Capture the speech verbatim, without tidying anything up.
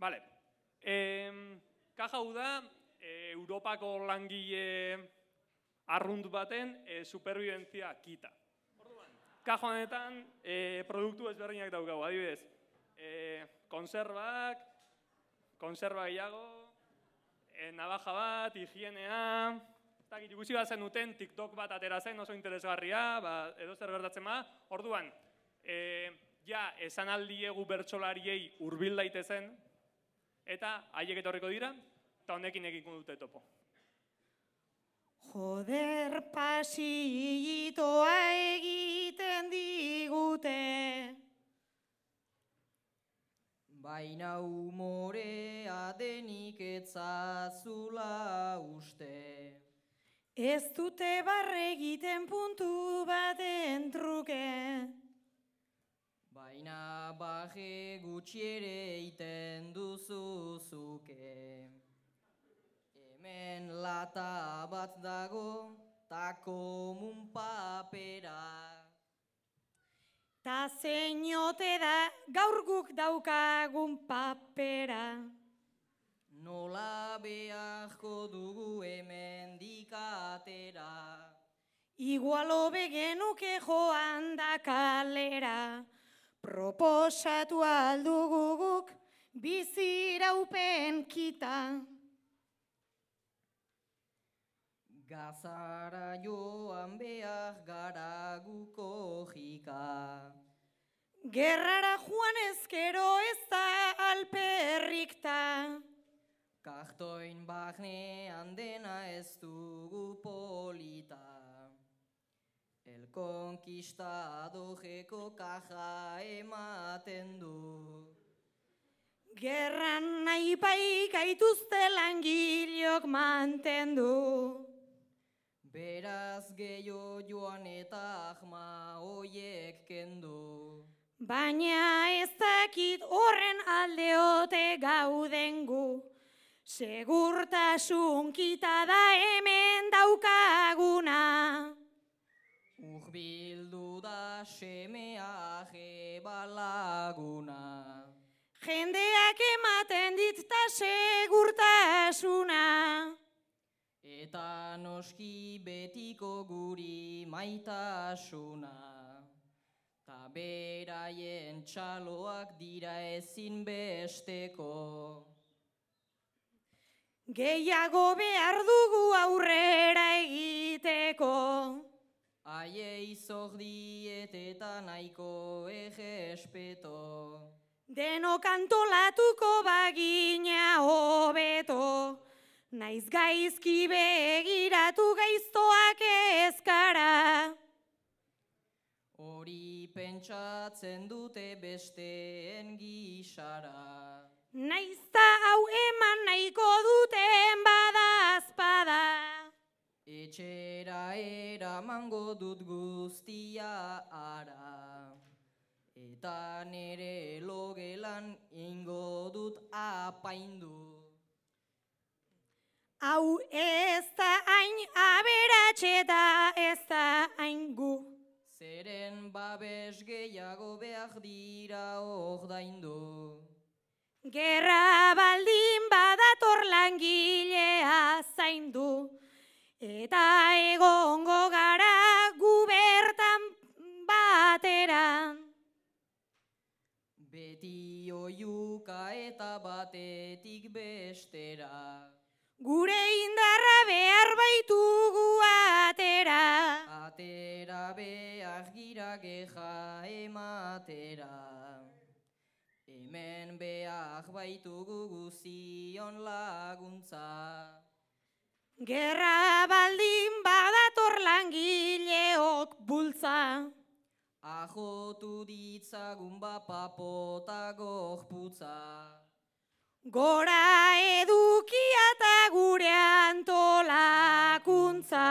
Vale. E, kaja hau da, e, Europako langile arrunt baten e, superbibentzia kita. Kaja honetan e, produktu ezberdinak daukagu, adibidez. E, konserbak, konserba gehiago, e, navaja bat, higienea, ikusi bat zen duten TikTok bat atera zen oso interesgarria, ba, edo zer gertatzen ba. Orduan, e, ja, esan aldiegu bertsolariei hurbil daitezen, eta haiek etorriko dira, eta honekin egin dute topo. Joder, pasitoa egiten digute, baina umorea denik etzazula uste. ez dute barre egiten puntu baten truke. Baina baje gutxi ere iten duzu zuke. Hemen lata bat dago, ta komun papera. Ta zeinote da gaur guk daukagun papera. Nola beharko dugu hemen dikatera. Igualo begenuke joan da kalera. Proposatu aldugu guk biziraupen kita. Gazara joan behar gara guko jika. Gerrara joan ezkero ez da alperrikta. Kartoin barnean dena ez dugu polita. El conquistadoreko kaja ematen du. Gerran nahi bai gaituzte langileok mantendu. Beraz gehiago joan eta ahma hoiek kendu. Baina ez dakit horren aldeote gauden gu. Segurtasun kita da hemen daukaguna. Urbildu da semea jebalaguna. Jendeak ematen dit ta segurtasuna. Eta noski betiko guri maitasuna. Ta beraien txaloak dira ezin besteko. Gehiago behar dugu aurrera egiteko. Aiei zordiet eta nahiko egespeto. Denok antolatuko bagina hobeto. Naiz gaizki begiratu gaiztoak ezkara. Hori pentsatzen dute besteen gisara. Naizta hau eman nahiko duten badazpada. Etxera eramango dut guztia ara. Eta nere logelan ingo dut apaindu. Hau ez da hain aberatxe da ez da hain gu. Zeren babes gehiago behar dira ordaindu. Gerra baldin badator langilea zaindu. Eta egongo gara gu bertan batera. Beti oiuka eta batetik bestera. Gure indarra behar baitugu atera. Atera behar gira geja ematera. Hemen behar baitugu guzion laguntza. Gerra baldin badator langileok bultza. Ajotu ditzagun bapapota gorputza. Gora edukia eta gure antolakuntza.